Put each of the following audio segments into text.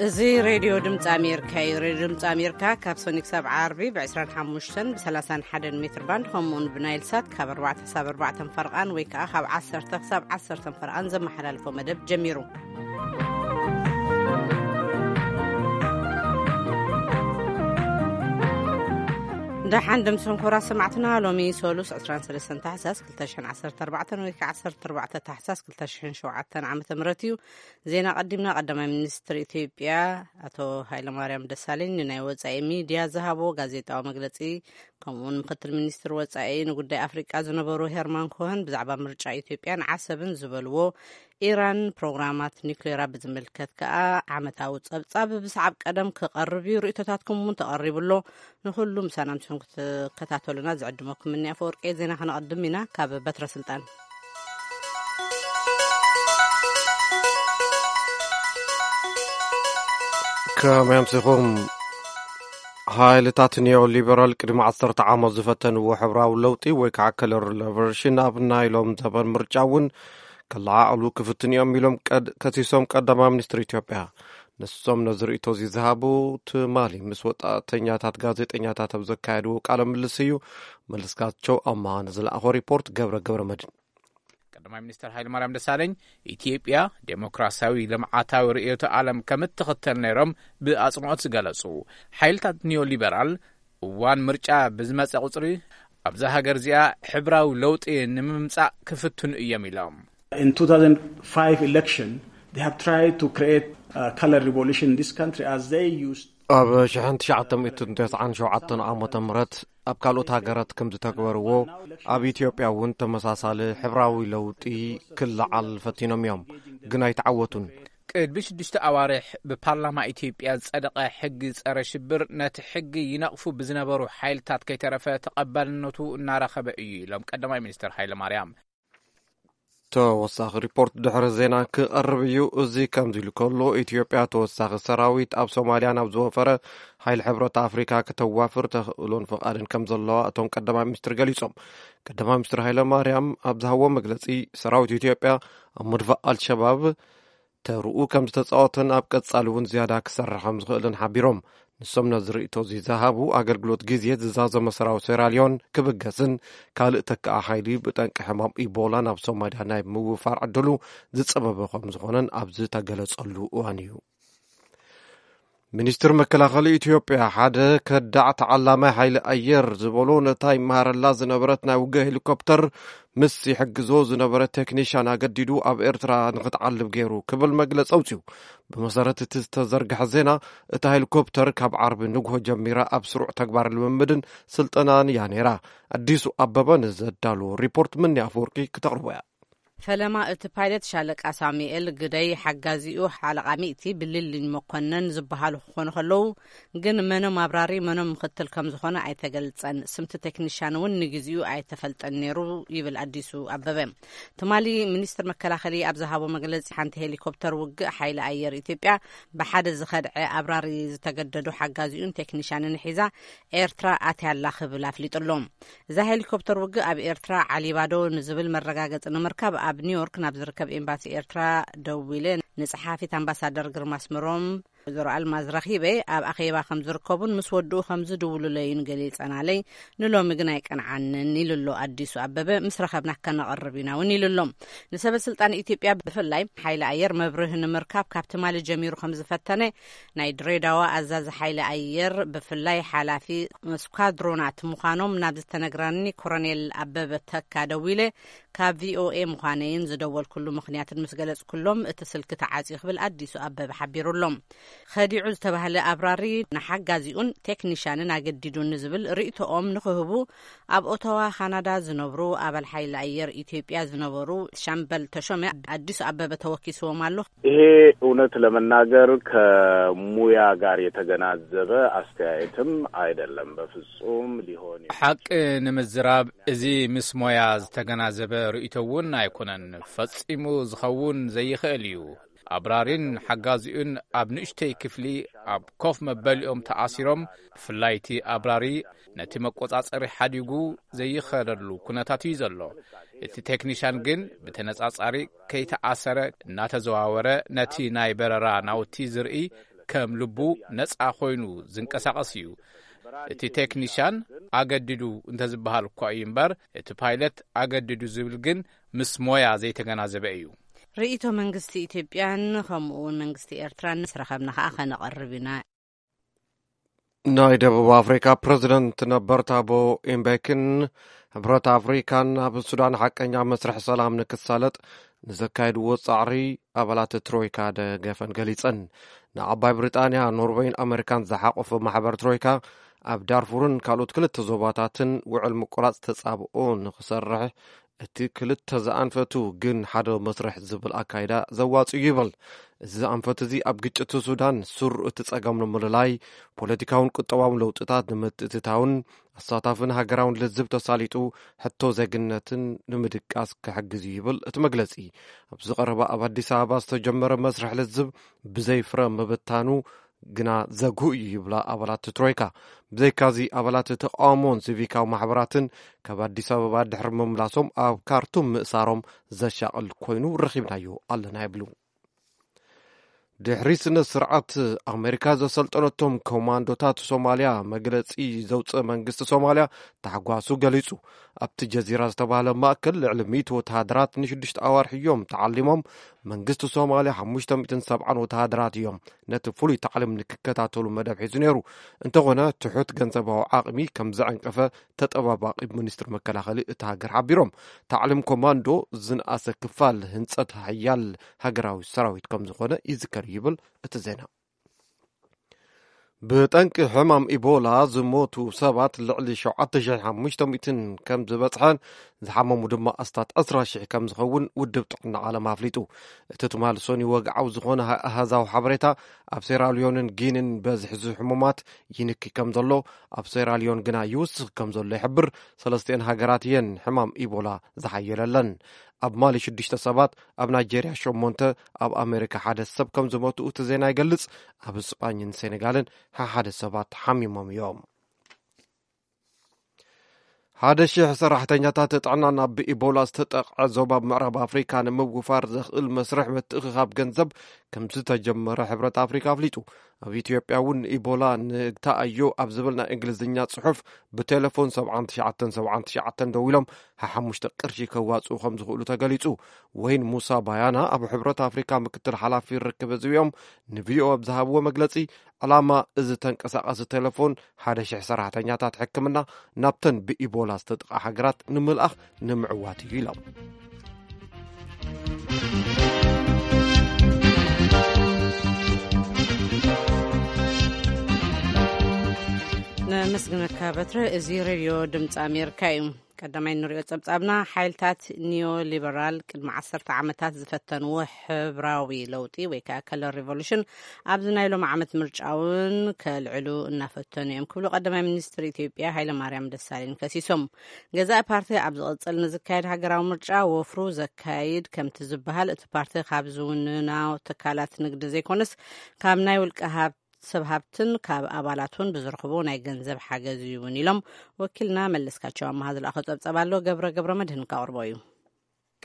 እዚ ሬድዮ ድምፂ ኣሜሪካ እዩ። ሬድዮ ድምፂ ኣሜሪካ ካብ ሰኒ ክሳብ ዓርቢ ብ25 ብ31 ሜትር ባንድ፣ ከምኡውን ብናይል ሳት ካብ ኣርባዕተ ክሳብ ኣርባዕተ ፈርቓን ወይ ከዓ ካብ ዓሰርተ ክሳብ ዓሰርተ ፈርቓን ዘመሓላልፎ መደብ ጀሚሩ። ደሓን ደምስኹም ክቡራት ሰማዕትና፣ ሎሚ ሰሉስ ዕስራን ሰለስተን ታሕሳስ ክልተ ሽሕን ዓሰርተ ኣርባዕተን ወይ ከዓ ዓሰርተ ኣርባዕተ ታሕሳስ ክልተ ሽሕን ሸውዓተን ዓመተ ምህረት እዩ። ዜና ቀዲምና። ቀዳማይ ሚኒስትር ኢትዮጵያ ኣቶ ሃይለማርያም ደሳለኝ ንናይ ወጻኢ ሚድያ ዝሃቦ ጋዜጣዊ መግለጺ፣ ከምኡውን ምክትል ሚኒስትር ወጻኢ ንጉዳይ ኣፍሪቃ ዝነበሩ ሄርማን ኮሀን ብዛዕባ ምርጫ ኢትዮጵያን ዓሰብን ዝበልዎ፣ ኢራን ፕሮግራማት ኒውክሌራ ብዝምልከት ከኣ ዓመታዊ ጸብጻብ ብሰዓብ ቀደም ክቐርብ እዩ። ርእይቶታትኩም እውን ተቐሪቡ ኣሎ። ንኹሉ ምሳና ምሽኹም ክትከታተሉና ዝዕድመኩም እኒ ኣፈወርቂ። ዜና ከነቐድም ኢና ካብ በትረ ስልጣን። ከመይ ኣምሲኹም? ሓይልታት ኒዮ ሊበራል ቅድሚ ዓሰርተ ዓመት ዝፈተንዎ ሕብራዊ ለውጢ ወይ ከዓ ከለር ሪቨርሽን ኣብ ናይ ሎም ዘበን ምርጫ እውን ከለዓዕሉ ክፍትን እዮም ኢሎም ቀድ-፣ ከሲሶም ቀዳማይ ሚኒስትር ኢትዮጵያ። ንሶም ነዚ ርእይቶ እዚ ዝሃቡ ትማሊ ምስ ወጣተኛታት ጋዜጠኛታት ኣብ ዘካየድዎ ቃለ ምልልስ እዩ። መለስካቸው ኣማሃ ንዝለኣኾ ሪፖርት ገብረ ገብረ መድን። ቀዳማይ ሚኒስትር ሃይለማርያም ደሳለኝ ኢትዮጵያ ዴሞክራሲያዊ ልምዓታዊ ርእዮተ ዓለም ከም እትኽተል ነይሮም ብኣጽንኦት ዝገለጹ፣ ሓይልታት ኒዮሊበራል እዋን ምርጫ ብዝመጸ ቁጽሪ ኣብዛ ሃገር እዚኣ ሕብራዊ ለውጢ ንምምጻእ ክፍትኑ እዮም ኢሎም። In two thousand five election, they have tried to create a color revolution in this country as they used ኣብ ሽሕን ትሽዓተ ሚእትን ተስዓን ሸውዓተን ዓመተ ምህረት ኣብ ካልኦት ሃገራት ከም ዝተግበርዎ፣ ኣብ ኢትዮጵያ እውን ተመሳሳሊ ሕብራዊ ለውጢ ክለዓል ፈቲኖም እዮም፣ ግን ኣይተዓወቱን። ቅድሚ ሽዱሽተ ኣዋርሕ ብፓርላማ ኢትዮጵያ ዝጸደቐ ሕጊ ጸረ ሽብር ነቲ ሕጊ ይነቕፉ ብዝነበሩ ሓይልታት ከይተረፈ ተቐባልነቱ እናረኸበ እዩ ኢሎም ቀዳማይ ሚኒስትር ሃይለማርያም። ተወሳኺ ሪፖርት ድሕሪ ዜና ክቐርብ እዩ። እዚ ከምዚ ኢሉ ከሎ፣ ኢትዮጵያ ተወሳኺ ሰራዊት ኣብ ሶማልያ ናብ ዝወፈረ ሓይሊ ሕብረት ኣፍሪካ ከተዋፍር ተኽእሎን ፍቓድን ከም ዘለዋ እቶም ቀዳማይ ሚኒስትር ገሊጾም። ቀዳማይ ሚኒስትር ሃይለ ማርያም ኣብ ዝሃቦ መግለጺ፣ ሰራዊት ኢትዮጵያ ኣብ ምድፋእ ኣልሸባብ ተርኡ ከም ዝተጻወተን ኣብ ቀጻሊ እውን ዝያዳ ክሰርሕ ከም ዝኽእልን ሓቢሮም። ንሶም ነዚ ርእይቶ እዚ ዝሃቡ፣ ኣገልግሎት ግዜ ዝዛዘመ ሰራዊት ሴራልዮን ክብገስን ካልእ ተካኣ ሓይሊ ብጠንቂ ሕማም ኢቦላ ናብ ሶማልያ ናይ ምውፋር ዕድሉ ዝጸበበ ከም ዝኾነን ኣብ ዝተገለጸሉ እዋን እዩ። ሚኒስትር መከላኸሊ ኢትዮጵያ ሓደ ከዳዕ ተዓላማይ ሓይሊ ኣየር ዝበሎ ነታ ይመሃረላ ዝነበረት ናይ ውግእ ሄሊኮፕተር ምስ ይሕግዞ ዝነበረ ቴክኒሻን ኣገዲዱ ኣብ ኤርትራ ንኽትዓልብ ገይሩ ክብል መግለጺ ኣውጺኡ። ብመሰረት እቲ ዝተዘርግሐ ዜና፣ እታ ሄሊኮፕተር ካብ ዓርቢ ንግሆ ጀሚራ ኣብ ስሩዕ ተግባር ልምምድን ስልጠናን እያ ነይራ። ኣዲሱ ኣበበ ንዘዳለዎ ሪፖርት ምኒ ኣፈወርቂ ክተቕርቦ እያ። ፈለማ እቲ ፓይለት ሻለቃ ሳሙኤል ግደይ፣ ሓጋዚኡ ሓለቓ ሚእቲ ብልልኝ መኮነን ዝበሃሉ ክኾኑ ከለዉ፣ ግን መኖም ኣብራሪ መኖም ምኽትል ከም ዝኾነ ኣይተገልጸን። ስምቲ ቴክኒሻን እውን ንግዚኡ ኣይተፈልጠን ነይሩ ይብል ኣዲሱ ኣበበ። ትማሊ ሚኒስትር መከላኸሊ ኣብ ዝሃቦ መግለጺ፣ ሓንቲ ሄሊኮፕተር ውግእ ሓይሊ ኣየር ኢትዮጵያ ብሓደ ዝኸድዐ ኣብራሪ ዝተገደዱ ሓጋዚኡን ቴክኒሻንን ሒዛ ኤርትራ ኣትያ ኣላ ክብል ኣፍሊጡ ኣሎ። እዛ ሄሊኮፕተር ውግእ ኣብ ኤርትራ ዓሊባዶ ንዝብል መረጋገጺ ንምርካብ ኣብ ኒውዮርክ ናብ ዝርከብ ኤምባሲ ኤርትራ ደዊለ ንጸሓፊት ኣምባሳደር ግርማ ኣስመሮም ወይዘሮ ኣልማዝ ረኺበ ኣብ ኣኼባ ከም ዝርከቡን ምስ ወድኡ ከም ዝድውሉለይን ገሊጸናለይ። ንሎሚ ግን ኣይቀንዓንን ኢሉ ኣሎ ኣዲሱ ኣበበ። ምስ ረኸብና ከነቐርብ ኢና እውን ኢሉ ኣሎ። ንሰበ ስልጣን ኢትዮጵያ ብፍላይ ሓይሊ ኣየር መብርሂ ንምርካብ ካብ ትማሊ ጀሚሩ ከም ዝፈተነ ናይ ድሬዳዋ ኣዛዚ ሓይሊ ኣየር ብፍላይ ሓላፊ ስኳድሮናት ምዃኖም ናብ ዝተነግረኒ ኮሎኔል ኣበበ ተካ ደዊለ ካብ ቪኦኤ ምዃነይን ዝደወልኩሉ ምኽንያትን ምስ ገለጽኩሎም እቲ ስልኪ ተዓጽዩ ክብል ኣዲሱ ኣበበ ሓቢሩ ኣሎ። ኸዲዑ ዝተባህለ ኣብራሪ ንሓጋዚኡን ቴክኒሻንን ኣገዲዱኒ ዝብል ርእይቶኦም ንኽህቡ ኣብ ኦታዋ ካናዳ ዝነብሩ ኣባል ሓይሊ ኣየር ኢትዮጵያ ዝነበሩ ሻምበል ተሾመ ኣዲሱ ኣበበ ተወኪስዎም ኣሎ። ይሄ እውነት ለመናገር ከሙያ ጋር የተገናዘበ አስተያየትም አይደለም። በፍጹም ሊሆን የሚ- ሓቂ ንምዝራብ፣ እዚ ምስ ሞያ ዝተገናዘበ ርእይቶ እውን ኣይኮነን። ፈጺሙ ዝኸውን ዘይኽእል እዩ። ኣብራሪን ሓጋዚኡን ኣብ ንእሽተይ ክፍሊ ኣብ ኮፍ መበሊኦም ተኣሲሮም፣ ብፍላይ እቲ ኣብራሪ ነቲ መቆጻጸሪ ሓዲጉ ዘይኸደሉ ኩነታት እዩ ዘሎ። እቲ ቴክኒሻን ግን ብተነጻጻሪ ከይተኣሰረ እናተዘዋወረ ነቲ ናይ በረራ ናውቲ ዝርኢ ከም ልቡ ነጻ ኮይኑ ዝንቀሳቐስ እዩ። እቲ ቴክኒሻን ኣገዲዱ እንተዝበሃል እኳ እዩ እምበር፣ እቲ ፓይለት ኣገዲዱ ዝብል ግን ምስ ሞያ ዘይተገናዘበ እዩ። ርእይቶ መንግስቲ ኢትዮጵያን ከምኡ እውን መንግስቲ ኤርትራን ምስ ረኸብና ከኣ ከነቐርብ ኢና። ናይ ደቡብ ኣፍሪካ ፕረዚደንት ነበር ታቦ ኢምቤክን ሕብረት ኣፍሪካን ኣብ ሱዳን ሓቀኛ መስርሕ ሰላም ንክሳለጥ ንዘካየድዎ ጻዕሪ ኣባላት ትሮይካ ደገፈን ገሊጸን። ንዓባይ ብሪጣንያ፣ ኖርወይን ኣመሪካን ዝሓቆፈ ማሕበር ትሮይካ ኣብ ዳርፉርን ካልኦት ክልተ ዞባታትን ውዕል ምቁራጽ ተጻብኦ ንክሰርሕ እቲ ክልተ ዝኣንፈቱ ግን ሓደ መስርሕ ዝብል ኣካይዳ ዘዋጽ እዩ ይብል። እዚ ኣንፈት እዚ ኣብ ግጭት ሱዳን ሱር እቲ ጸገም ንምልላይ፣ ፖለቲካውን ቁጠባውን ለውጥታት ንምትእትታውን ኣሳታፍን ሃገራውን ልዝብ ተሳሊጡ ሕቶ ዜግነትን ንምድቃስ ክሕግዝ እዩ ይብል እቲ መግለጺ። ኣብ ዝቐረበ ኣብ ኣዲስ ኣበባ ዝተጀመረ መስርሕ ልዝብ ብዘይ ፍረ ምብታኑ ግና ዘጉህ እዩ ይብላ ኣባላት ትሮይካ። ብዘይካዚ ኣባላት ተቃውሞን ሲቪካዊ ማሕበራትን ካብ ኣዲስ ኣበባ ድሕሪ ምምላሶም ኣብ ካርቱም ምእሳሮም ዘሻቕል ኮይኑ ረኺብናዮ ኣለና ይብሉ። ድሕሪ ስነ ስርዓት ኣሜሪካ ዘሰልጠነቶም ኮማንዶታት ሶማልያ መግለጺ ዘውፅእ መንግስቲ ሶማልያ ታሕጓሱ ገሊጹ። ኣብቲ ጀዚራ ዝተባህለ ማእከል ልዕሊ ሚእቲ ወተሃደራት ንሽዱሽተ ኣዋርሕ እዮም ተዓሊሞም። መንግስቲ ሶማልያ ሓሙሽተ ሚእትን ሰብዓን ወተሃደራት እዮም ነቲ ፍሉይ ታዕሊም ንክከታተሉ መደብ ሒዙ ነይሩ። እንተኾነ ትሑት ገንዘባዊ ዓቕሚ ከም ዘዐንቀፈ ተጠባባቒ ሚኒስትር መከላኸሊ እታ ሃገር ሓቢሮም። ታዕሊም ኮማንዶ ዝንኣሰ ክፋል ህንጸት ሓያል ሃገራዊ ሰራዊት ከም ዝኾነ ይዝከር ይብል እቲ ዜና። ብጠንቂ ሕማም ኢቦላ ዝሞቱ ሰባት ልዕሊ ሸውዓተ ሽሕ ሓሙሽተ ሚእትን ከም ዝበጽሐን ዝሓመሙ ድማ ኣስታት ዕስራ ሽሕ ከም ዝኸውን ውድብ ጥዕና ዓለም ኣፍሊጡ። እቲ ትማል ሶኒ ወግዓዊ ዝኾነ ኣሃዛዊ ሓበሬታ ኣብ ሴራልዮንን ጊኒን በዝሒ ሕሙማት ይንኪ ከም ዘሎ፣ ኣብ ሴራልዮን ግና ይውስኽ ከም ዘሎ ይሕብር። ሰለስቲኤን ሃገራት እየን ሕማም ኢቦላ ዝሓየለለን። ኣብ ማሊ ሽዱሽተ ሰባት፣ ኣብ ናይጄርያ ሸሞንተ፣ ኣብ ኣሜሪካ ሓደ ሰብ ከም ዝሞቱ እቲ ዜና ይገልጽ። ኣብ ስጳኝን ሴኔጋልን ሓሓደ ሰባት ሓሚሞም እዮም። ሓደ ሽሕ ሰራሕተኛታት ጥዕና ናብ ብኢቦላ ዝተጠቕዐ ዞባ ምዕራብ ኣፍሪካ ንምውፋር ዘኽእል መስርሕ ምትእኽኻብ ገንዘብ ከም ዝተጀመረ ሕብረት ኣፍሪካ ኣፍሊጡ። ኣብ ኢትዮጵያ እውን ኢቦላ ንግታኣዮ ኣብ ዝብል ናይ እንግሊዝኛ ጽሑፍ ብቴሌፎን ሰብዓን ትሽዓተን ሰብዓን ትሽዓተን ደዊሎም ሓሓሙሽተ ቅርሺ ከዋጽኡ ከም ዝኽእሉ ተገሊጹ። ወይን ሙሳ ባያና ኣብ ሕብረት ኣፍሪካ ምክትል ሓላፊ ርክብ ህዝቢ እዮም ንቪኦኤ ኣብ ዝሃብዎ መግለጺ፣ ዕላማ እዚ ተንቀሳቓሲ ቴሌፎን ሓደ ሽሕ ሰራሕተኛታት ሕክምና ናብተን ብኢቦላ ዝተጥቓ ሃገራት ንምልኣኽ ንምዕዋት እዩ ኢሎም። ነመስግነካ በትረ። እዚ ሬድዮ ድምፂ ኣሜሪካ እዩ። ቀዳማይ እንሪኦ ጸብጻብና፣ ሓይልታት ኒዮ ሊበራል ቅድሚ ዓሰርተ ዓመታት ዝፈተንዎ ሕብራዊ ለውጢ ወይ ከዓ ከለር ሪቮሉሽን ኣብዚ ናይ ሎም ዓመት ምርጫ እውን ከልዕሉ እናፈተኑ እዮም ክብሉ ቀዳማይ ሚኒስትር ኢትዮጵያ ሃይለማርያም ደሳለኝ ከሲሶም። ገዛኢ ፓርቲ ኣብ ዝቕጽል ንዝካየድ ሃገራዊ ምርጫ ወፍሩ ዘካይድ ከምቲ ዝበሃል፣ እቲ ፓርቲ ካብ ዝውንና ትካላት ንግዲ ዘይኮነስ ካብ ናይ ውልቀ ሃብት ሰብ ሃብትን ካብ ኣባላት እውን ብዝረኽቦ ናይ ገንዘብ ሓገዝ እዩ እውን ኢሎም። ወኪልና መለስካቸው ኣመሃ ዝለኣኾ ጸብጸብ ኣሎ፣ ገብረ ገብረ መድህን ካቕርቦ እዩ።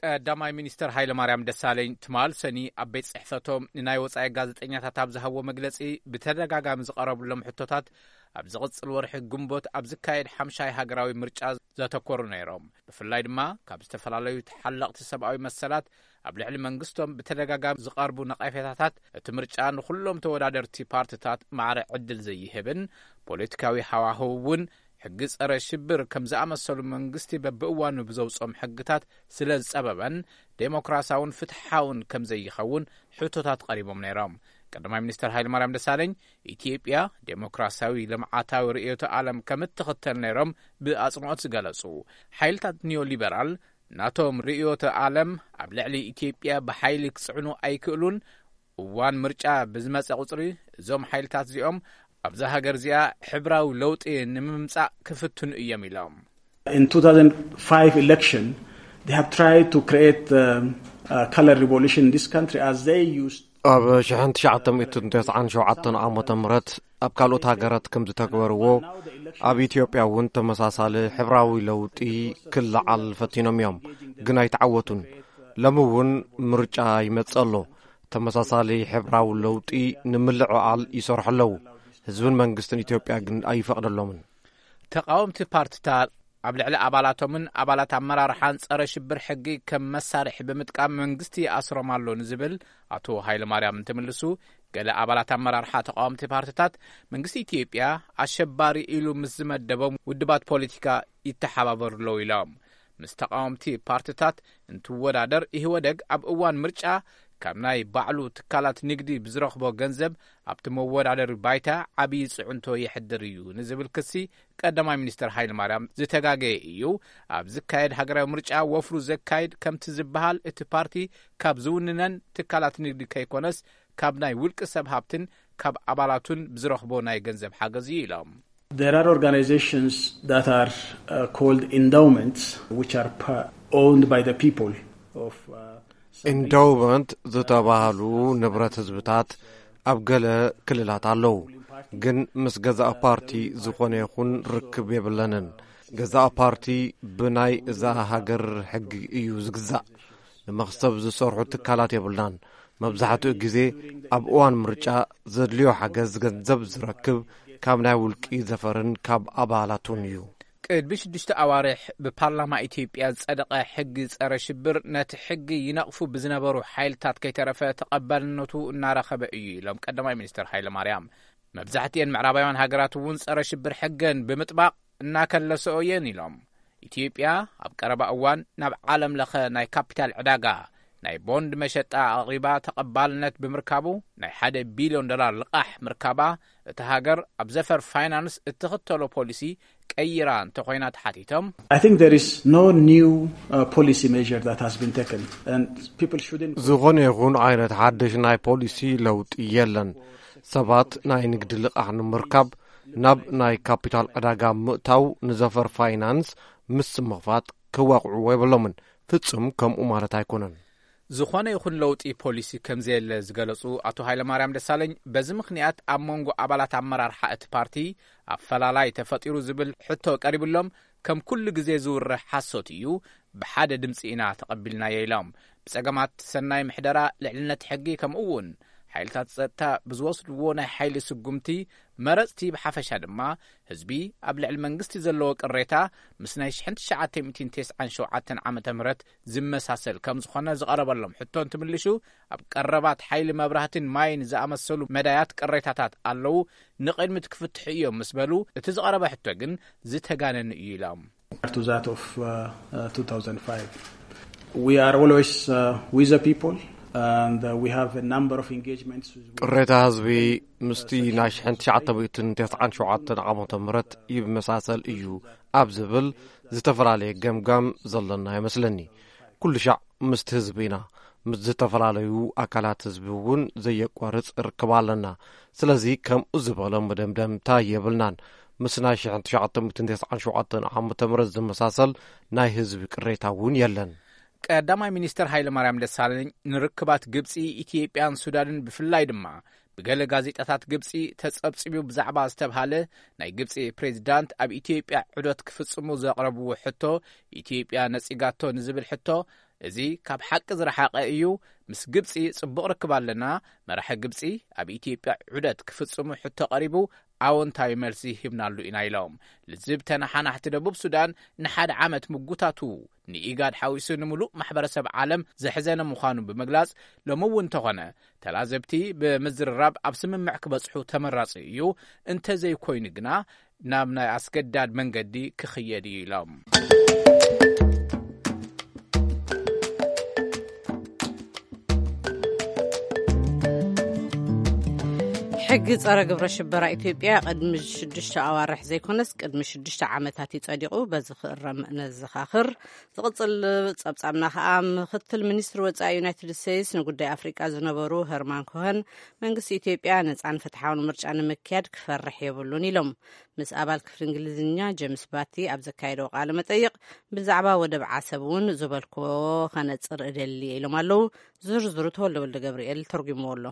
ቀዳማይ ሚኒስትር ሃይለማርያም ደሳለኝ ትማል ሰኒ ኣብ ቤት ጽሕፈቶም ንናይ ወጻኢ ጋዜጠኛታት ኣብ ዝሃብዎ መግለጺ፣ ብተደጋጋሚ ዝቐረብሎም ሕቶታት ኣብ ዝቕጽል ወርሒ ግንቦት ኣብ ዝካየድ ሓምሻይ ሃገራዊ ምርጫ ዘተኮሩ ነይሮም። ብፍላይ ድማ ካብ ዝተፈላለዩ ተሓለቕቲ ሰብኣዊ መሰላት ኣብ ልዕሊ መንግስቶም ብተደጋጋሚ ዝቐርቡ ነቐፌታታት፣ እቲ ምርጫ ንኹሎም ተወዳደርቲ ፓርትታት ማዕረ ዕድል ዘይህብን፣ ፖለቲካዊ ሃዋህው እውን ሕጊ ጸረ ሽብር ከም ዝኣመሰሉ መንግስቲ በብእዋኑ ብዘውጽኦም ሕግታት ስለ ዝጸበበን፣ ዴሞክራሲያውን ፍትሓውን ከም ዘይኸውን ሕቶታት ቀሪቦም ነይሮም። ቀዳማይ ሚኒስትር ሃይለማርያም ደሳለኝ፣ ኢትዮጵያ ዴሞክራሲያዊ ልምዓታዊ ርእዮተ ዓለም ከም እትኽተል ነይሮም ብኣጽንኦት ዝገለጹ። ሓይልታት ኒዮሊበራል ናቶም ርእዮተ ዓለም ኣብ ልዕሊ ኢትዮጵያ ብሓይሊ ክጽዕኑ ኣይክእሉን። እዋን ምርጫ ብዝመጸ ቁጽሪ እዞም ሓይልታት እዚኦም ኣብዛ ሃገር እዚኣ ሕብራዊ ለውጢ ንምምጻእ ክፍትኑ እዮም ኢሎም። In two thousand five election, they have tried to create um, a color revolution in this country as they used ኣብ ሽሕን ትሽዓተ ሚእትን ተስዓን ሸውዓተን ዓመተ ምህረት ኣብ ካልኦት ሃገራት ከም ዝተግበርዎ ኣብ ኢትዮጵያ እውን ተመሳሳሊ ሕብራዊ ለውጢ ክለዓል ፈቲኖም እዮም፣ ግን ኣይተዓወቱን። ሎሚ እውን ምርጫ ይመጽእ ኣሎ። ተመሳሳሊ ሕብራዊ ለውጢ ንምልዕዓል ይሰርሑ ኣለዉ። ህዝብን መንግስትን ኢትዮጵያ ግን ኣይፈቕደሎምን። ተቃወምቲ ፓርትታት ኣብ ልዕሊ ኣባላቶምን ኣባላት ኣመራርሓን ጸረ ሽብር ሕጊ ከም መሳርሒ ብምጥቃም መንግስቲ ይኣስሮም ኣሎ ንዝብል ኣቶ ሃይለማርያም እንትምልሱ፣ ገለ ኣባላት ኣመራርሓ ተቃወምቲ ፓርትታት መንግስቲ ኢትዮጵያ ኣሸባሪ ኢሉ ምስ ዝመደቦም ውድባት ፖለቲካ ይተሓባበሩ ኣለዉ ኢሎም። ምስ ተቃወምቲ ፓርትታት እንትወዳደር ኢህወደግ ኣብ እዋን ምርጫ ካብ ናይ ባዕሉ ትካላት ንግዲ ብዝረኽቦ ገንዘብ ኣብቲ መወዳደሪ ባይታ ዓብዪ ጽዕንቶ የሕድር እዩ ንዝብል ክሲ ቀዳማይ ሚኒስትር ሃይለማርያም ዝተጋገየ እዩ። ኣብ ዝካየድ ሃገራዊ ምርጫ ወፍሩ ዘካይድ ከምቲ ዝበሃል እቲ ፓርቲ ካብ ዝውንነን ትካላት ንግዲ ከይኮነስ ካብ ናይ ውልቂ ሰብ ሃብትን ካብ ኣባላቱን ብዝረኽቦ ናይ ገንዘብ ሓገዝ እዩ ኢሎም። There are organizations that are uh, called endowments, which are pa- owned by the people of uh, some endowment ዝተባህሉ ንብረት ህዝብታት ኣብ ገለ ክልላት ኣለዉ፣ ግን ምስ ገዛእ ፓርቲ ዝኾነ ይኹን ርክብ የብለንን። ገዛእ ፓርቲ ብናይ እዛ ሃገር ሕጊ እዩ ዝግዛእ። ንመኽሰብ ዝሰርሑ ትካላት የብልናን። መብዛሕትኡ ግዜ ኣብ እዋን ምርጫ ዘድልዮ ሓገዝ ገንዘብ ዝረክብ ካብ ናይ ውልቂ ዘፈርን ካብ ኣባላቱን እዩ። ቅድሚ ሽዱሽተ ኣዋርሕ ብፓርላማ ኢትዮጵያ ዝጸደቐ ሕጊ ጸረ ሽብር ነቲ ሕጊ ይነቕፉ ብዝነበሩ ሓይልታት ከይተረፈ ተቐባልነቱ እናረኸበ እዩ ኢሎም ቀዳማይ ሚኒስትር ሃይለማርያም። መብዛሕትኤን ምዕራባውያን ሃገራት እውን ጸረ ሽብር ሕገን ብምጥባቕ እናከለሰኦ እየን ኢሎም። ኢትዮጵያ ኣብ ቀረባ እዋን ናብ ዓለም ለኸ ናይ ካፒታል ዕዳጋ ናይ ቦንድ መሸጣ ኣቕሪባ ተቐባልነት ብምርካቡ ናይ ሓደ ቢልዮን ዶላር ልቓሕ ምርካባ እታ ሃገር ኣብ ዘፈር ፋይናንስ እትኽተሎ ፖሊሲ ቀይራ እንተኾይና ተሓቲቶም። I think there is no new uh, policy measure that has been taken and people shouldn't ዝኾነ ይኹን ዓይነት ሓድሽ ናይ ፖሊሲ ለውጢ የለን። ሰባት ናይ ንግዲ ልቓሕ ንምርካብ ናብ ናይ ካፒታል ዕዳጋ ምእታው ንዘፈር ፋይናንስ ምስ ምኽፋት ክዋቕዕዎ የብሎምን። ፍጹም ከምኡ ማለት ኣይኮነን። ዝኾነ ይኹን ለውጢ ፖሊሲ ከም ዘየለ ዝገለጹ ኣቶ ሃይለማርያም ደሳለኝ በዚ ምኽንያት ኣብ መንጎ ኣባላት ኣመራርሓ እቲ ፓርቲ ኣፈላላይ ተፈጢሩ ዝብል ሕቶ ቀሪብሎም ከም ኩሉ ግዜ ዝውርሕ ሓሶት እዩ፣ ብሓደ ድምፂ ኢና ተቐቢልናዮ ኢሎም። ብጸገማት ሰናይ ምሕደራ፣ ልዕልነት ሕጊ ከምኡ እውን ሓይልታት ጸጥታ ብዝወስድዎ ናይ ሓይሊ ስጉምቲ መረጽቲ ብሓፈሻ ድማ ህዝቢ ኣብ ልዕሊ መንግስቲ ዘለዎ ቅሬታ ምስ ናይ ሽሕን ትሽዓተ ሚእትን ተስዓን ሸውዓተን ዓመተ ምህረት ዝመሳሰል ከም ዝኾነ ዝቐረበሎም ሕቶ እንትምልሹ ኣብ ቀረባት ሓይሊ መብራህትን ማይን ዝኣመሰሉ መዳያት ቅሬታታት ኣለዉ፣ ንቕድሚት ክፍትሑ እዮም ምስ በሉ እቲ ዝቐረበ ሕቶ ግን ዝተጋነነ እዩ ኢሎም። To that of uh, uh, two thousand five. We are always uh, with the people and uh, we have a number of engagements with ቅሬታ ህዝቢ ምስቲ ናይ ሽሕን ትሽዓተ ሚእትን ተስዓን ሸውዓተን ዓመተ ምህረት ይመሳሰል እዩ ኣብ ዝብል ዝተፈላለየ ገምጋም ዘለና ይመስለኒ። ኩሉ ሻዕ ምስቲ ህዝቢ ኢና። ምስ ዝተፈላለዩ ኣካላት ህዝቢ እውን ዘየቋርጽ ርክብ ኣለና። ስለዚ ከምኡ ዝበሎ መደምደምታ የብልናን። ምስ ናይ ሽሕን ትሽዓተ ሚእትን ተስዓን ሸውዓተን ዓመተ ምህረት ዝመሳሰል ናይ ህዝቢ ቅሬታ እውን የለን። ቀዳማይ ሚኒስትር ሃይለማርያም ደሳለኝ ንርክባት ግብጺ፣ ኢትዮጵያን ሱዳንን ብፍላይ ድማ ብገለ ጋዜጣታት ግብጺ ተጸብጺቡ ብዛዕባ ዝተብሃለ ናይ ግብጺ ፕሬዚዳንት ኣብ ኢትዮጵያ ዑደት ክፍጽሙ ዘቕረብዎ ሕቶ ኢትዮጵያ ነጺጋቶ ንዝብል ሕቶ፣ እዚ ካብ ሓቂ ዝረሓቐ እዩ። ምስ ግብጺ ጽቡቕ ርክብ ኣለና። መራሒ ግብጺ ኣብ ኢትዮጵያ ዑደት ክፍጽሙ ሕቶ ቀሪቡ ኣወንታዊ መልሲ ሂብናሉ ኢና ኢሎም። ልዝብ ተነሓናሕቲ ደቡብ ሱዳን ንሓደ ዓመት ምጉታቱ ንኢጋድ ሓዊሱ ንምሉእ ማሕበረሰብ ዓለም ዘሕዘነ ምዃኑ ብምግላጽ፣ ሎሚ እውን እንተኾነ ተላዘብቲ ብምዝርራብ ኣብ ስምምዕ ክበጽሑ ተመራጺ እዩ፣ እንተዘይኮይኑ ግና ናብ ናይ ኣስገዳድ መንገዲ ክኽየድ እዩ ኢሎም። ሕጊ ጸረ ግብረ ሽበራ ኢትዮጵያ ቅድሚ ሽዱሽተ ኣዋርሕ ዘይኮነስ ቅድሚ ሽዱሽተ ዓመታት እዩ ጸዲቑ። በዚ ክእረም ነዘኻኽር። ዝቕጽል ጸብጻብና ከኣ ምኽትል ሚኒስትሪ ወጻኢ ዩናይትድ ስቴትስ ንጉዳይ ኣፍሪቃ ዝነበሩ ሄርማን ኮኸን መንግስቲ ኢትዮጵያ ነጻን ፍትሓውን ምርጫ ንምክያድ ክፈርሕ የብሉን ኢሎም። ምስ ኣባል ክፍሊ እንግሊዝኛ ጄምስ ባቲ ኣብ ዘካየደዎ ቃለ መጠይቕ ብዛዕባ ወደብ ዓሰብ እውን ዝበልክዎ ከነጽር እደሊ ኢሎም ኣለዉ። ዝርዝሩ ተወልደ ወልደ ገብርኤል ተርጉምዎ ኣሎ።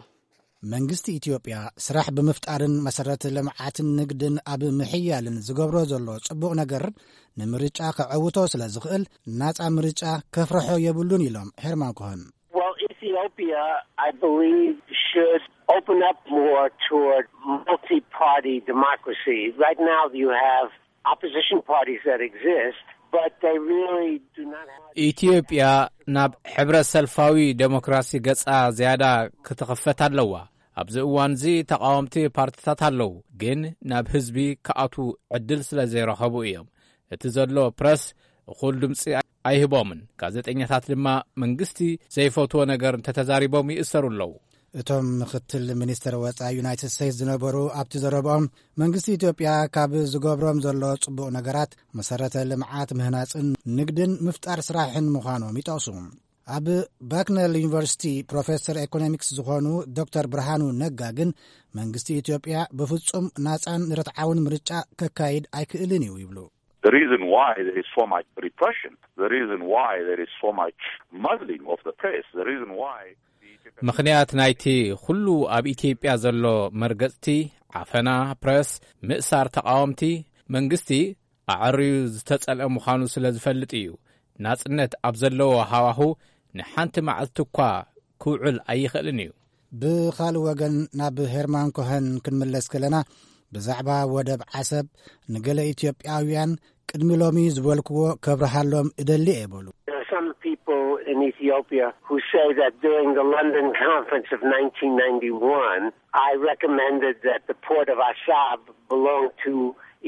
መንግስቲ ኢትዮጵያ ስራሕ ብምፍጣርን መሰረተ ልምዓትን ንግድን ኣብ ምሕያልን ዝገብሮ ዘሎ ጽቡቕ ነገር ንምርጫ ከዐውቶ ስለ ዝኽእል ናጻ ምርጫ ከፍርሖ የብሉን ኢሎም ሄርማን ኮኸን። Well, if the Ethiopia, I believe, should open up more toward multi-party democracy. Right now, you have opposition parties that exist, but they really do not have. ኢትዮጵያ ናብ ሕብረ ሰልፋዊ ዴሞክራሲ ገጻ ዝያዳ ክትኽፈት ኣለዋ። ኣብዚ እዋን እዚ ተቃወምቲ ፓርቲታት ኣለዉ፣ ግን ናብ ህዝቢ ክኣትዉ ዕድል ስለ ዘይረኸቡ እዮም። እቲ ዘሎ ፕረስ እኹል ድምፂ ኣይህቦምን። ጋዜጠኛታት ድማ መንግስቲ ዘይፈትዎ ነገር እንተተዛሪቦም ይእሰሩ ኣለዉ። እቶም ምክትል ሚኒስትር ወፃኢ ዩናይትድ ስቴትስ ዝነበሩ ኣብቲ ዘረብኦም መንግስቲ ኢትዮጵያ ካብ ዝገብሮም ዘሎ ፅቡቕ ነገራት መሰረተ ልምዓት ምህናፅን ንግድን ምፍጣር ስራሕን ምዃኖም ይጠቕሱ። ኣብ ባክነል ዩኒቨርሲቲ ፕሮፌሰር ኢኮኖሚክስ ዝኾኑ ዶክተር ብርሃኑ ነጋ ግን መንግስቲ ኢትዮጵያ ብፍጹም ናጻን ርትዓውን ምርጫ ከካይድ ኣይክእልን እዩ ይብሉ። The reason why there is so much repression, the reason why there is so much muzzling of the press, the reason why ምኽንያት ናይቲ ኩሉ ኣብ ኢትዮጵያ ዘሎ መርገጽቲ፣ ዓፈና ፕረስ፣ ምእሳር ተቃወምቲ፣ መንግስቲ ኣዐርዩ ዝተጸልአ ምዃኑ ስለ ዝፈልጥ እዩ። ናጽነት ኣብ ዘለዎ ሃዋሁ ንሓንቲ መዓልቲ እኳ ክውዕል ኣይኽእልን እዩ። ብኻልእ ወገን ናብ ሄርማን ኮሀን ክንምለስ ከለና ብዛዕባ ወደብ ዓሰብ ንገለ ኢትዮጵያውያን ቅድሚ ሎሚ ዝበልክዎ ከብርሃሎም እደሊ እየ በሉ። There are some people in Ethiopia who say that during the London conference of nineteen ninety-one, I recommended that the port of Assab belong to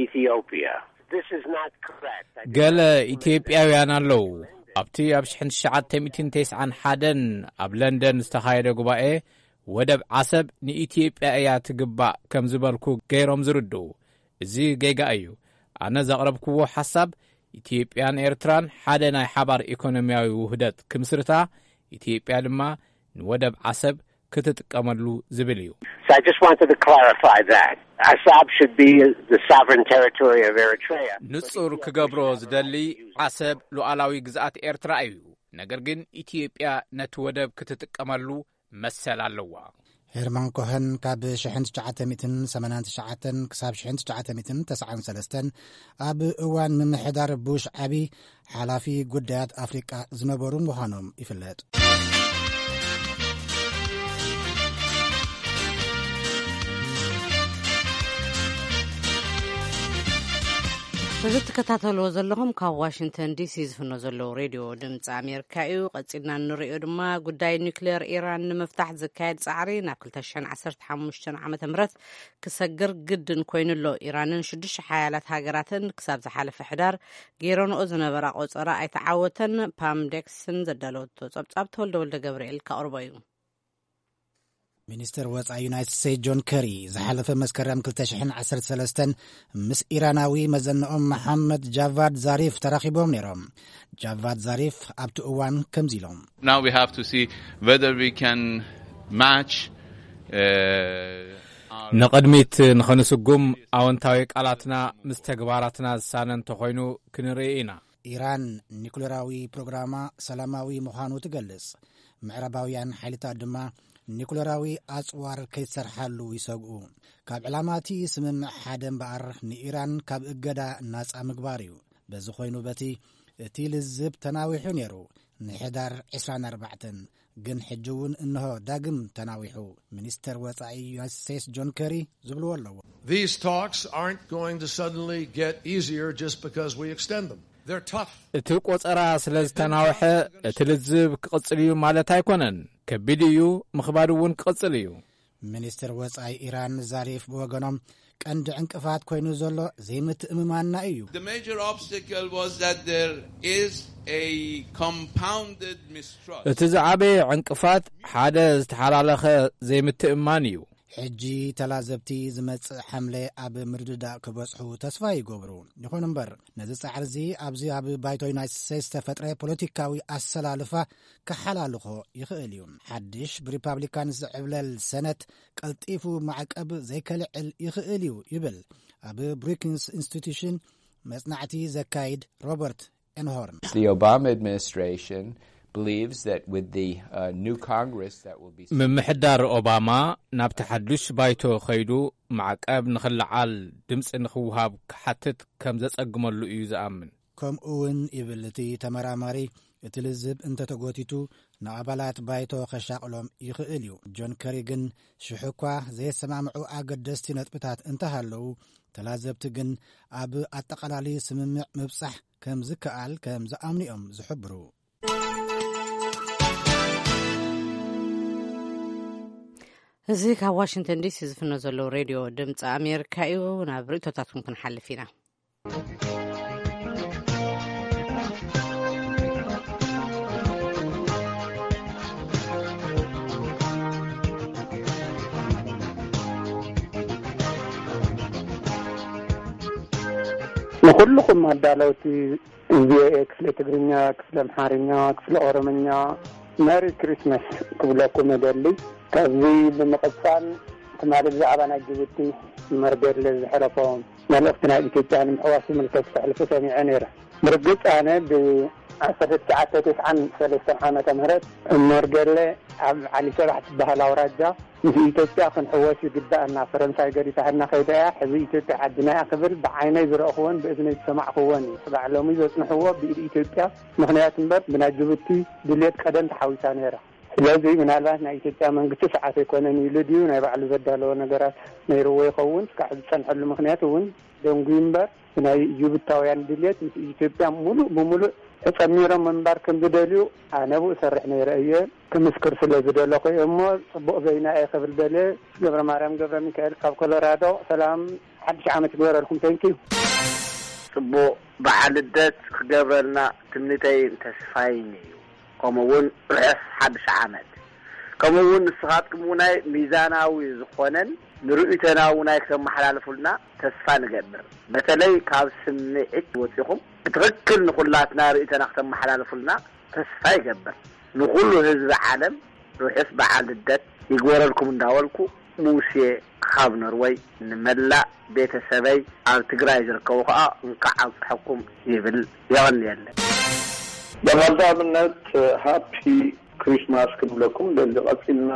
Ethiopia. This is not correct. I did ገለ not recommend ኢትዮጵያውያን ኣለዉ። ኣብቲ ኣብ ሽሕን ትሽዓተ ሚእትን ተስዓን ሓደን ኣብ ለንደን ዝተኻየደ ጉባኤ ወደብ ዓሰብ ንኢትዮጵያ እያ ትግባእ ከም ዝበልኩ ገይሮም ዝርድኡ። እዚ ጌጋ እዩ። ኣነ ዘቕረብክዎ ሓሳብ ኢትዮጵያን ኤርትራን ሓደ ናይ ሓባር ኢኮኖሚያዊ ውህደት ክምስርታ፣ ኢትዮጵያ ድማ ንወደብ ዓሰብ ክትጥቀመሉ ዝብል እዩ። So I just wanted to clarify that. Assab should be the sovereign territory of Eritrea. ንጹር ክገብሮ ዝደሊ ዓሰብ ሉዓላዊ ግዝኣት ኤርትራ እዩ። ነገር ግን ኢትዮጵያ ነቲ ወደብ ክትጥቀመሉ መሰል ኣለዋ። ሄርማን ኮሀን ካብ ሽሕን ትሽዓተ ሚእትን ሰማንያን ትሽዓተን ክሳብ ሽሕን ትሽዓተ ሚእትን ተስዓን ሰለስተን ኣብ እዋን ምምሕዳር ቡሽ ዓቢ ሓላፊ ጉዳያት ኣፍሪቃ ዝነበሩ ምዃኖም ይፍለጥ። እዚ ትከታተልዎ ዘለኹም ካብ ዋሽንግተን ዲሲ ዝፍኖ ዘለዉ ሬድዮ ድምፂ ኣሜሪካ እዩ። ቀፂልና እንሪኦ ድማ ጉዳይ ኒክሌር ኢራን ንምፍታሕ ዝካየድ ፃዕሪ ናብ ክልተ ሽሕን ዓሰርተ ሓሙሽተን ዓመተ ምህረት ክሰግር ግድን ኮይኑ ኣሎ። ኢራንን ሽዱሽተ ሓያላት ሃገራትን ክሳብ ዝሓለፈ ሕዳር ገይረንኦ ዝነበራ ቆፀራ ኣይተዓወተን። ፓም ዴክስን ዘዳለወቶ ፀብፃብ ተወልደ ወልደ ገብርኤል ከቕርቦ እዩ። ሚኒስትር ወፃኢ ዩናይትድ ስቴትስ ጆን ከሪ ዝሓለፈ መስከረም ክልተ ሽሕን ዓሰርተ ሰለስተን ምስ ኢራናዊ መዘንኦም መሓመድ ጃቫድ ዛሪፍ ተራኺቦም ነይሮም። ጃቫድ ዛሪፍ ኣብቲ እዋን ከምዚ ኢሎም። Now we have to see whether we can match uh, our ንቕድሚት ንኸንስጉም ኣወንታዊ ቃላትና ምስ ተግባራትና ዝሳነ እንተኾይኑ ክንርኢ ኢና። ኢራን ኒኩሌራዊ ፕሮግራማ ሰላማዊ ምዃኑ ትገልጽ። ምዕራባውያን ሓይልታት ድማ ኒኩሌራዊ ኣጽዋር ከይትሰርሓሉ ይሰግኡ። ካብ ዕላማ እቲ ስምምዕ ሓደ እምበኣር ንኢራን ካብ እገዳ ናጻ ምግባር እዩ። በዚ ኮይኑ በቲ እቲ ልዝብ ተናዊሑ ነይሩ ንሕዳር ዕስራን ኣርባዕተን፣ ግን ሕጂ እውን እንሆ ዳግም ተናዊሑ። ሚኒስተር ወጻኢ ዩናይትድ ስቴትስ ጆን ከሪ ዝብልዎ ኣለዎ። These talks aren't going to suddenly get easier just because we extend them. They're tough. እቲ ቆጸራ ስለ ዝተናውሐ እቲ ልዝብ ክቕጽል እዩ ማለት ኣይኮነን። ከቢድ እዩ፣ ምኽባድ እውን ክቕጽል እዩ። ሚኒስትር ወጻኢ ኢራን ዛሪፍ ብወገኖም ቀንዲ ዕንቅፋት ኮይኑ ዘሎ ዘይምትእምማንና እዩ። The major obstacle was that there is a compounded mistrust. እቲ ዝዓበየ ዕንቅፋት ሓደ ዝተሓላለኸ ዘይምትእምማን እዩ። ሕጂ ተላዘብቲ ዝመጽእ ሓምለ ኣብ ምርድዳእ ክበጽሑ ተስፋ ይገብሩ። ይኹን እምበር ነዚ ጻዕሪ እዚ ኣብዚ ኣብ ባይቶ ዩናይትድ ስቴትስ ዝተፈጥረ ፖለቲካዊ ኣሰላልፋ ክሓላልኾ ይኽእል እዩ። ሓድሽ ብሪፓብሊካንስ ዝዕብለል ሰነት ቀልጢፉ ማዕቀብ ዘይከልዕል ይኽእል እዩ ይብል ኣብ ብሩኪንስ ኢንስቲትዩሽን መጽናዕቲ ዘካይድ ሮበርት ኤንሆርን። The Obama administration believes that with the uh, new Congress that will be ምምሕዳር ኦባማ ናብቲ ሓዱሽ ባይቶ ኸይዱ ማዕቀብ ንኽለዓል ድምፂ ንኽውሃብ ክሓትት ከም ዘጸግመሉ እዩ ዝኣምን። ከምኡ እውን ይብል እቲ ተመራማሪ፣ እቲ ልዝብ እንተተጎቲቱ ንኣባላት ባይቶ ከሻቕሎም ይኽእል እዩ። ጆን ከሪ ግን ሽሕ እኳ ዘየሰማምዑ ኣገደስቲ ነጥብታት እንተሃለዉ፣ ተላዘብቲ ግን ኣብ ኣጠቓላሊ ስምምዕ ምብጻሕ ከም ዝከኣል ከም ዝኣምኑ እዮም ዝሕብሩ። እዚ ካብ ዋሽንግተን ዲሲ ዝፍኖ ዘለዉ ሬድዮ ድምፂ ኣሜሪካ እዩ። ናብ ርእቶታትኩም ክንሓልፍ ኢና። ንኹልኹም ኣዳለውቲ ቪኦኤ ክፍለ ትግርኛ፣ ክፍለ ኣምሓርኛ፣ ክፍለ ኦሮምኛ መሪ ክሪስማስ ክብለኩም እደሊ። ካብዚ ብምቕጻል ትማሊ ብዛዕባ ናይ ጅቡቲ መርገድለ ዝሕለፎ መልእኽቲ ናይ ኢትዮጵያ ንምሕዋስ ዝምልከት ክተሕልፉ ሰሚዐ ነይረ። ብርግጽ ኣነ ብ1993 ዓመተ ምህረት መርገድለ ኣብ ዓሊ ሰባሕ ትበሃል ኣውራጃ ምስ ኢትዮጵያ ክንሕወስ ይግባኣና፣ ፈረንሳይ ገዲፋትና ከይዳ እያ፣ ሕዚ ኢትዮጵያ ዓድና እያ ክብል ብዓይነይ ዝረእኽዎን ብእዝነይ ዝሰማዕኽዎን እዩ። ክሳዕ ሎሚ ዘጽንሕዎ ብኢድ ኢትዮጵያ ምኽንያት እምበር ብናይ ጅቡቲ ድልየት ቀደም ተሓዊሳ ነይራ። ስለዚ ምናልባት ናይ ኢትዮጵያ መንግስቲ ሰዓት ኣይኮነን ኢሉ ድዩ ናይ ባዕሉ ዘዳለዎ ነገራት ነይርዎ ይኸውን። እስካዕ ዝጸንሐሉ ምኽንያት እውን ደንጉዩ እምበር ብናይ ጅቡታውያን ድልየት ምስ ኢትዮጵያ ሙሉእ ብሙሉእ ተጸሚሮም ምንባር ከም ዝደልዩ ኣነ ብኡ ሰርሕ ነይረ እየ። ክምስክር ስለ ዝደለኹ እየ እሞ ጽቡቕ ዜና እየ ክብል ደልየ። ገብረ ማርያም ገብረ ሚካኤል ካብ ኮሎራዶ። ሰላም፣ ሓድሽ ዓመት ይግበረልኩም። ተንኪዩ። ጽቡቕ በዓል ልደት ክገብረልና ትምኒተይን ተስፋይን እዩ። ከምኡ እውን ርሑስ ሓድሽ ዓመት። ከምኡ እውን ንስኻትኩም እውናይ ሚዛናዊ ዝኾነን ንርእይቶና እውናይ ክተመሓላልፉልና ተስፋ ንገብር። በተለይ ካብ ስምዒት ወጺኹም ብትኽክል ንኹላትና ርእይቶና ክተመሓላልፉልና ተስፋ ይገብር። ንኹሉ ህዝቢ ዓለም ርሑስ በዓል ልደት ይግበረልኩም እንዳበልኩ፣ ሙሴ ካብ ኖርወይ ንመላእ ቤተሰበይ ኣብ ትግራይ ዝርከቡ ከኣ እንኳዕ ኣብፀሐኩም ይብል። የቐንየለይ። ብቐዳምነት ሃፒ ክሪስማስ ክንብለኩም ደሊ። ቀፂልና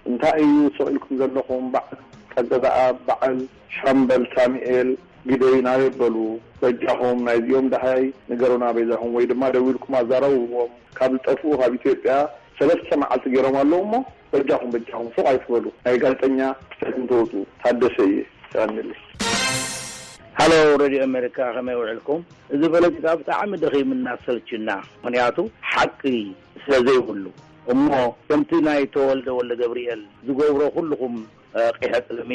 እንታይ እዩ ስቕ ኢልኩም ዘለኹም? በዓል ጸገ ዘኣብ፣ በዓል ሻምበል ሳሙኤል ግደይ ናበይ በሉ? በጃኹም ናይዚኦም ደሃይ ንገሩና በይዛኹም፣ ወይ ድማ ደዊልኩም ኣዛረብዎም። ካብ ዝጠፍኡ ካብ ኢትዮጵያ ሰለስተ መዓልቲ ገይሮም ኣለዉ እሞ በጃኹም በጃኹም ሱቕ ኣይትበሉ። ናይ ጋዜጠኛ ክፍተት እንተወፁ። ታደሰ እየ። ይቐንየለይ። ሃሎ ሬድዮ ኣሜሪካ፣ ከመይ ውዕልኩም? እዚ ፖለቲካ ብጣዕሚ ደኺምና ሰልችና፣ ምኽንያቱ ሓቂ ስለ ዘይብሉ እሞ ከምቲ ናይ ተወልደ ወልደ ገብርኤል ዝገብሮ ኩልኹም ቂሐ ጥልሚ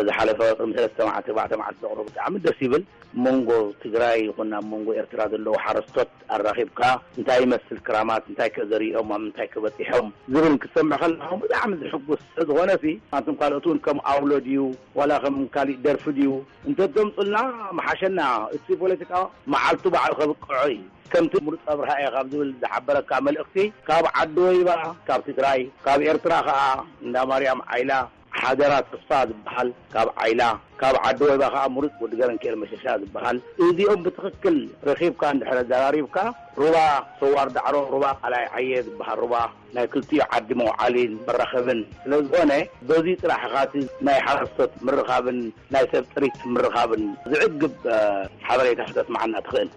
ዝሓለፈ ቅድሚ ሰለስተ መዓልቲ ኣርባዕተ መዓልቲ ዘቕረቡ ብጣዕሚ ደስ ይብል። መንጎ ትግራይ ይኹን ኣብ መንጎ ኤርትራ ዘለዉ ሓረስቶት ኣራኺብካ እንታይ ይመስል ክራማት፣ እንታይ ከ ዘሪኦም፣ ኣብ ምንታይ ከ በጺሖም ዝብል ክትሰምዕ ከለኻ ብጣዕሚ ዝሕጉስ ስለዝኾነ ሲ ኣንቱም ካልኦት እውን ከም ኣውሎ ድዩ ዋላ ከም ካሊእ ደርፊ ድዩ እንተተምጹልና ምሓሸና። እቲ ፖለቲካ መዓልቱ ባዕሉ ከብቅዖ እዩ። ከምቲ ምሩፅ ኣብርሃ እየ ካብ ዝብል ዝሓበረካ መልእኽቲ ካብ ዓዲ ወይባ ካብ ትግራይ ካብ ኤርትራ ከዓ እንዳ ማርያም ዓይላ ሓደራ ተስፋ ዝበሃል ካብ ዓይላ፣ ካብ ዓዲ ወይባ ከዓ ምሩፅ ወዲ ገረንክኤል መሸሻ ዝበሃል። እዚኦም ብትኽክል ረኺብካ እንድሕር ኣዘራሪብካ ሩባ ሰዋር ዳዕሮ፣ ሩባ ቃላይ ዓየ ዝበሃል ሩባ ናይ ክልቲኡ ዓዲ መውዓሊን መራኸብን ስለ ዝኾነ በዚ ጥራሕ ኢኻ እቲ ናይ ሓረስቶት ምርኻብን ናይ ሰብ ጥሪት ምርኻብን ዝዕግብ ሓበሬታ ክተስምዓና ትኽእል።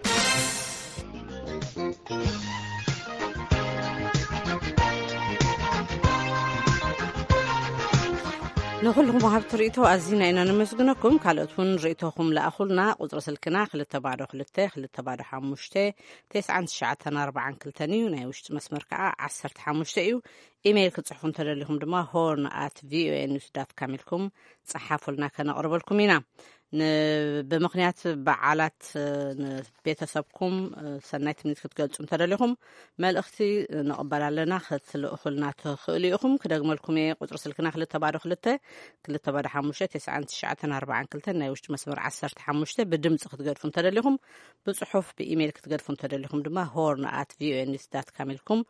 ንኹልኹም ወሃብቲ ርእይቶ ኣዚና ኢና ነመስግነኩም። ካልኦት እውን ርእይቶኹም ለኣኹልና። ቁፅሪ ስልክና ክልተ ባዶ ክልተ ክልተ ባዶ ሓሙሽተ ተስዓን ትሽዓተን ኣርባዓን ክልተን እዩ። ናይ ውሽጢ መስመር ከዓ ዓሰርተ ሓሙሽተ እዩ። ኢሜይል ክትፅሕፉ እንተደሊኹም ድማ ሆርን ኣት ቪኦኤ ኒውስ ዳት ካም ኢልኩም ፀሓፉልና፣ ከነቕርበልኩም ኢና። ን- ብምኽንያት በዓላት ንቤተሰብኩም ሰናይ ትምኒት ክትገልጹ እንተደሊኹም መልእኽቲ ንቕበል ኣለና፣ ክትልእኹልና ትኽእሉ ኢኹም። ክደግመልኩም እየ። ቁጽሪ ስልክና ክልተ ባዶ ክልተ ክልተ ባዶ ሓሙሽተ ተስዓን ትሽዓተን ኣርባዓን ክልተን፣ ናይ ውሽጢ መስመር ዓሰርተ ሓሙሽተ። ብድምጺ ክትገድፉ እንተደሊኹም ብጽሑፍ ብኢሜይል ክትገድፉ እንተደሊኹም ድማ ሆርን ኣት ቪኦኤ ኒውስ ዳት ካም ኢልኩም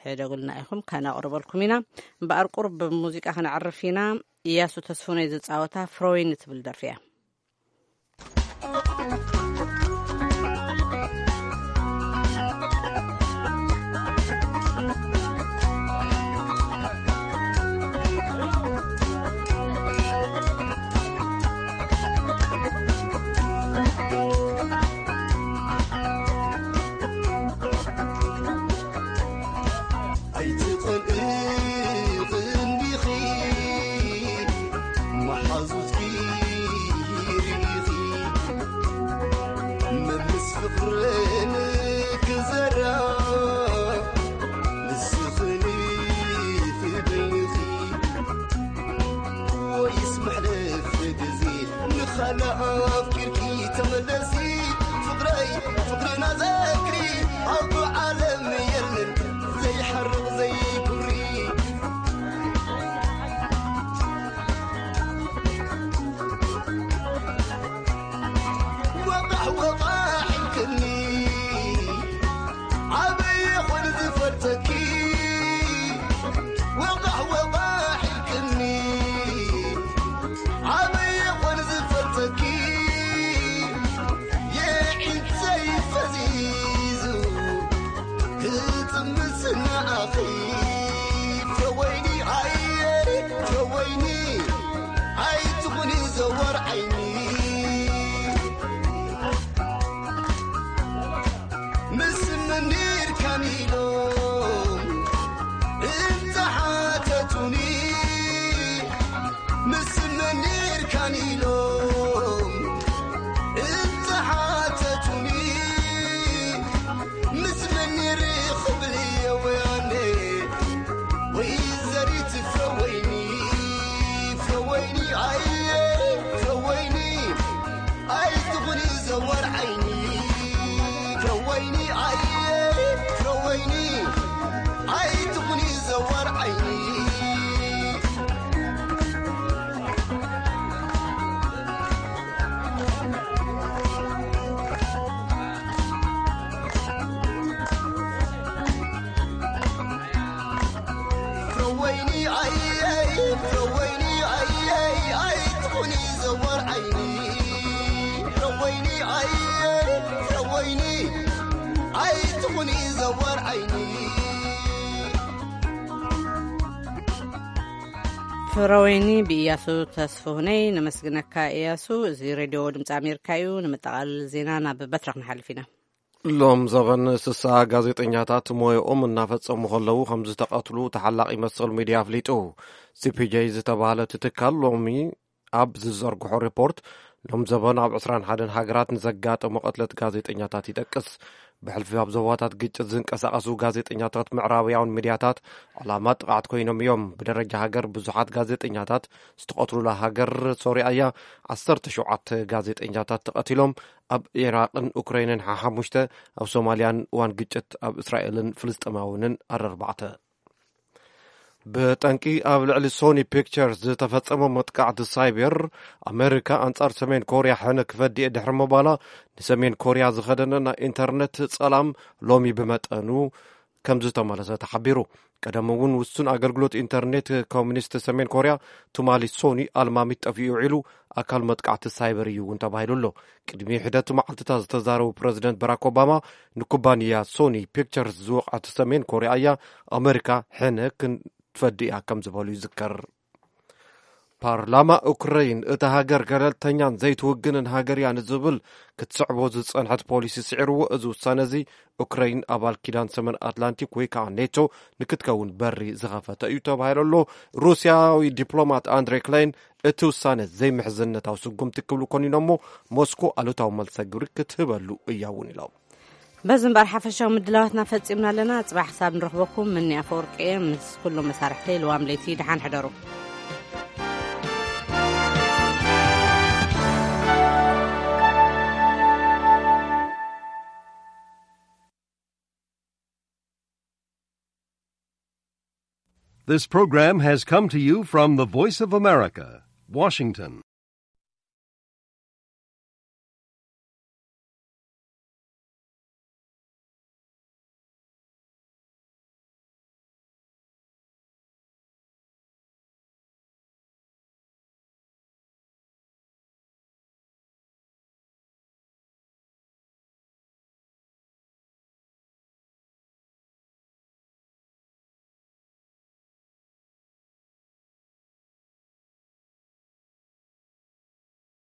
ሕደጉልና ኢኹም፣ ከነቕርበልኩም ኢና። እምበኣር ቁሩብ ብሙዚቃ ክነዕርፍ ኢና። እያሱ ተስፉነይ ዝጻወታ ፍሮይን እትብል ደርፊ እያ። ኣኺ ፍረወይኒ ኣየ ፍረወይኒ ኣይትኹኒ ዘወር ዓይኒ ምስ መን ኔርካን ኢሎም እንተሓተቱኒ ምስ መን ኔርካን ኢሎም እንተሓተቱኒ ምስ መን ኔርኽብልየ ወያነ ወይ ዘሪት ፍረወይኒ ፍረወይኒ ኣየ ፍረወይኒ ኣይትኹኒ ዘወር ዓይኒ ፍረወይኒ ኣየ ፍረወይኒ ኣይትኹኒ ዘወር ዓይኒ ፍረወይኒ ኣየይ ፍረወይኒ ኣየይ ኣይትኹኒ ዘወር ዓይኒ ፍረወይኒ ኣየይ ፍረወይኒ ኣይትኹኒ ዘወር ዓይኒ ፍረወይኒ ብእያሱ ተስፍሁነይ። ነመስግነካ እያሱ። እዚ ሬድዮ ድምፂ ኣሜሪካ እዩ። ንምጠቓልል ዜና ናብ በትረ ክንሓልፍ ኢና። ሎም ዘበን ስሳ ጋዜጠኛታት ሞያኦም እናፈጸሙ ከለዉ ከም ዝተቐትሉ ተሓላቒ መሰል ሚድያ ኣፍሊጡ። ሲፒጄ ዝተባህለ እቲ ትካል ሎሚ ኣብ ዝዘርግሖ ሪፖርት ሎም ዘበን ኣብ ዕስራን ሓደን ሃገራት ንዘጋጠሙ ቅትለት ጋዜጠኛታት ይጠቅስ። ብሕልፊ ኣብ ዞባታት ግጭት ዝንቀሳቐሱ ጋዜጠኛታት ምዕራባውያን ሚድያታት ዕላማ ጥቕዓት ኮይኖም እዮም። ብደረጃ ሃገር ብዙሓት ጋዜጠኛታት ዝተቐትሉላ ሃገር ሶርያ እያ። ዓሰርተ ሸውዓተ ጋዜጠኛታት ተቐቲሎም። ኣብ ኢራቕን ኡክራይንን ሓሓሙሽተ፣ ኣብ ሶማልያን እዋን ግጭት ኣብ እስራኤልን ፍልስጤማውያንን ኣረርባዕተ። ብጠንቂ ኣብ ልዕሊ ሶኒ ፒክቸርስ ዝተፈጸመ መጥቃዕቲ ሳይበር ኣሜሪካ ኣንጻር ሰሜን ኮርያ ሕነ ክፈድየ ድሕሪ ምባላ ንሰሜን ኮርያ ዝኸደነ ናይ ኢንተርነት ጸላም ሎሚ ብመጠኑ ከም ዝተመለሰ ተሓቢሩ። ቀደም እውን ውሱን ኣገልግሎት ኢንተርኔት ኮሚኒስት ሰሜን ኮርያ ትማሊ ሶኒ ኣልማሚት ጠፊኡ ውዒሉ ኣካል መጥቃዕቲ ሳይበር እዩ እውን ተባሂሉ ኣሎ። ቅድሚ ሒደት መዓልትታት ዝተዛረቡ ፕረዚደንት በራክ ኦባማ ንኩባንያ ሶኒ ፒክቸርስ ዝወቕዐት ሰሜን ኮርያ እያ ኣሜሪካ ሕነ ክንፈዲ እያ ከም ዝበሉ ይዝከር። ፓርላማ ኡክረይን እታ ሃገር ገለልተኛን ዘይትውግንን ሃገር እያ ንዝብል ክትስዕቦ ዝጸንሐት ፖሊሲ ስዒርዎ። እዚ ውሳነ እዚ ኡክረይን ኣባል ኪዳን ሰሜን ኣትላንቲክ ወይ ከዓ ኔቶ ንክትከውን በሪ ዝኸፈተ እዩ ተባሂሉ ኣሎ። ሩስያዊ ዲፕሎማት ኣንድሬ ክላይን እቲ ውሳነ ዘይምሕዝነታዊ ስጉምቲ ክብሉ ኮኒኖሞ ሞስኮ ኣሉታዊ መልሰ ግብሪ ክትህበሉ እያ እውን ኢሎም። በዚ እምበኣር ሓፈሻዊ ምድላዋትና ፈጺምና ኣለና። ጽባሕ ክሳብ ንረኽበኩም ምኒ ኣፈወርቂ እየ ምስ ኩሎም መሳርሕተይ ልዋም ለይቲ ደሓን ሕደሩ። This program has come to you from the Voice of America, Washington.